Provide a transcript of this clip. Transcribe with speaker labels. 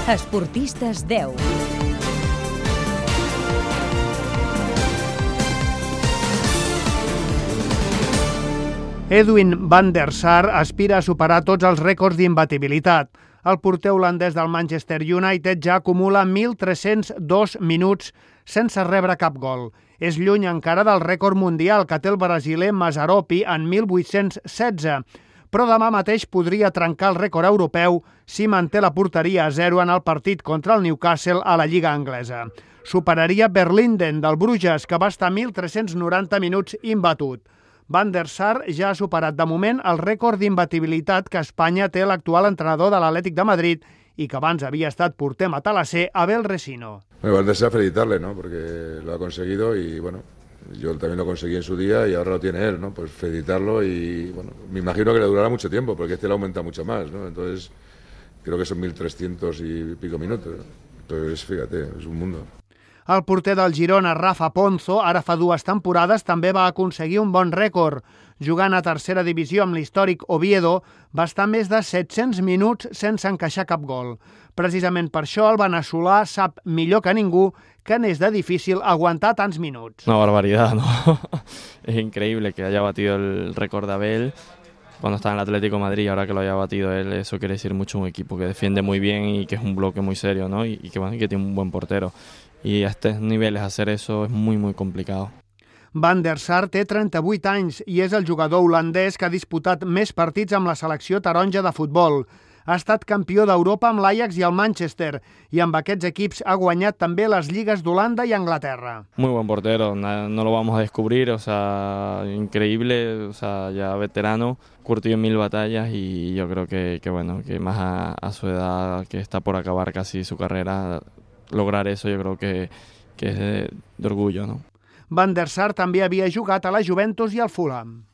Speaker 1: Esportistes 10.
Speaker 2: Edwin van der Sar aspira a superar tots els rècords d'imbatibilitat. El porter holandès del Manchester United ja acumula 1.302 minuts sense rebre cap gol. És lluny encara del rècord mundial que té el brasiler Mazzaropi en 1.816, però demà mateix podria trencar el rècord europeu si manté la porteria a 0 en el partit contra el Newcastle a la Lliga Anglesa. Superaria Verlinden del Bruges, que va estar 1.390 minuts imbatut. Van der Sar ja ha superat de moment el rècord d'imbatibilitat que Espanya té l'actual entrenador de l'Atlètic de Madrid y que abans había estat porter matalasser Abel Resino.
Speaker 3: Bueno, Van der Sar felicitarle, ¿no? Porque lo ha conseguido y bueno, yo también lo conseguí en su día y ahora lo tiene él, ¿no? Pues felicitarlo y bueno, me imagino que le durará mucho tiempo porque este le aumenta mucho más, ¿no? Entonces creo que son 1.300 y pico minutos, ¿no? Entonces fíjate, es un mundo.
Speaker 2: El porter del Girona, Rafa Ponzo, ara fa 2 temporades, també va aconseguir un bon rècord. Jugant a tercera divisió amb l'històric Oviedo, va estar més de 700 minuts sense encaixar cap gol. Precisament per això el veneçolà sap millor que ningú que n'és de difícil aguantar tants minuts.
Speaker 4: Una barbaridad, ¿no? Es increíble que haya batido el récord de Abel cuando estaba en el Atlético de Madrid, ahora que lo haya batido él, eso quiere decir mucho un equipo que defiende muy bien y que es un bloque muy serio, ¿no? Y que tiene un buen portero. Y a estos niveles hacer eso es muy, muy complicado.
Speaker 2: Van der Sar té 38 anys i és el jugador holandès que ha disputat més partits amb la selecció taronja de futbol. Ha estat campió d'Europa amb l'Ajax i el Manchester i amb aquests equips ha guanyat també les lligues d'Holanda i Anglaterra.
Speaker 4: Muy buen portero, no lo vamos a descubrir, o sea, increíble, o sea, ya veterano, curtido en 1000 batallas y yo creo que bueno, que más a su edad, que está por acabar casi su carrera, lograr eso yo creo que es de orgullo, ¿no?
Speaker 2: Van der Sar també havia jugat a la Juventus i al Fulham.